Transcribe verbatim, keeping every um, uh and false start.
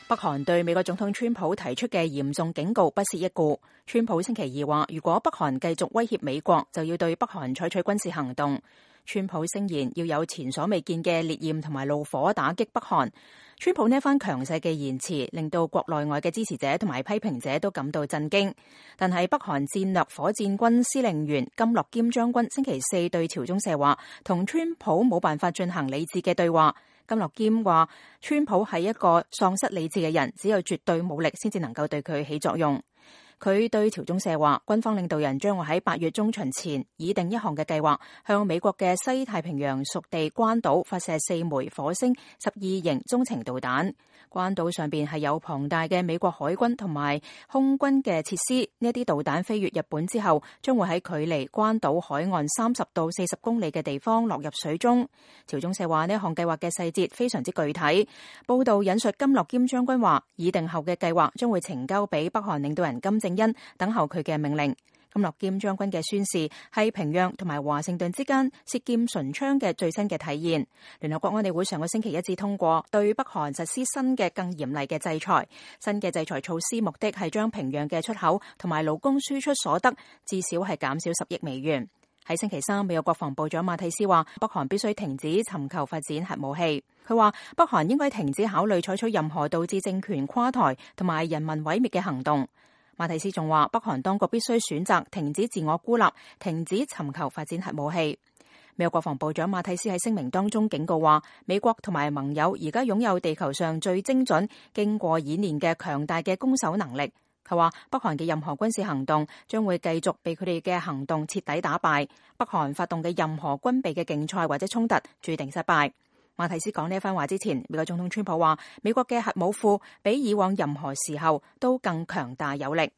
北韓對美國總統川普提出嘅嚴重警告不屑一顧。川普星期二話，如果北韓繼續威脅美國，就要對北韓採取軍事行動。川普聲言要有前所未見嘅烈焰同埋怒火打擊北韓。川普呢一番強勢嘅言辭，令到國內外嘅支持者同埋批評者都感到震驚。但係北韓戰略火箭軍司令員金樂堅將軍星期四對朝中社話，同川普冇辦法進行理智嘅對話。金樂堅話，川普係一個喪失理智嘅人，只有絕對武力先至能夠對佢起作用。佢對朝中社話，軍方領導人將會喺八月中旬前擬定一項嘅計劃，向美國嘅西太平洋屬地關島發射四枚火星十二型中程導彈。關島上邊係有龐大嘅美國海軍同埋空軍嘅設施，呢一啲導彈飛越日本之後，將會喺距離關島海岸三十到四十公里嘅地方落入水中。朝中社話，呢項計劃嘅細節非常之具體。報道引述金樂堅將軍話，擬定後嘅計劃將會呈交俾北韓領導人金正恩，等候佢嘅命令。金樂堅將軍嘅宣示係平壤同埋華盛頓之間舌劍唇槍嘅最新嘅體現。聯合國安理會上個星期一致通過對北韓實施新嘅更嚴厲嘅制裁。新嘅制裁措施目的係將平壤嘅出口同埋勞工輸出所得至少係減少十億美元。喺星期三，美國國防部長馬蒂斯話，北韓必須停止尋求發展核武器。佢話北韓應該停止考慮採取任何導致政權垮台同埋人民毀滅嘅行動。馬蒂斯仲話，北韓當局必須選擇停止自我孤立，停止尋求發展核武器。美國國防部長馬蒂斯喺聲明當中警告話，美國同埋盟友而家擁有地球上最精準、經過演練嘅強大嘅攻守能力。佢話北韓嘅任何軍事行動將會繼續被佢哋嘅行動徹底打敗。北韓發動嘅任何軍備嘅競賽或者衝突注定失敗。馬蒂斯講呢一番話之前，美國總統川普話，美國嘅核武庫比以往任何時候都更強大有力。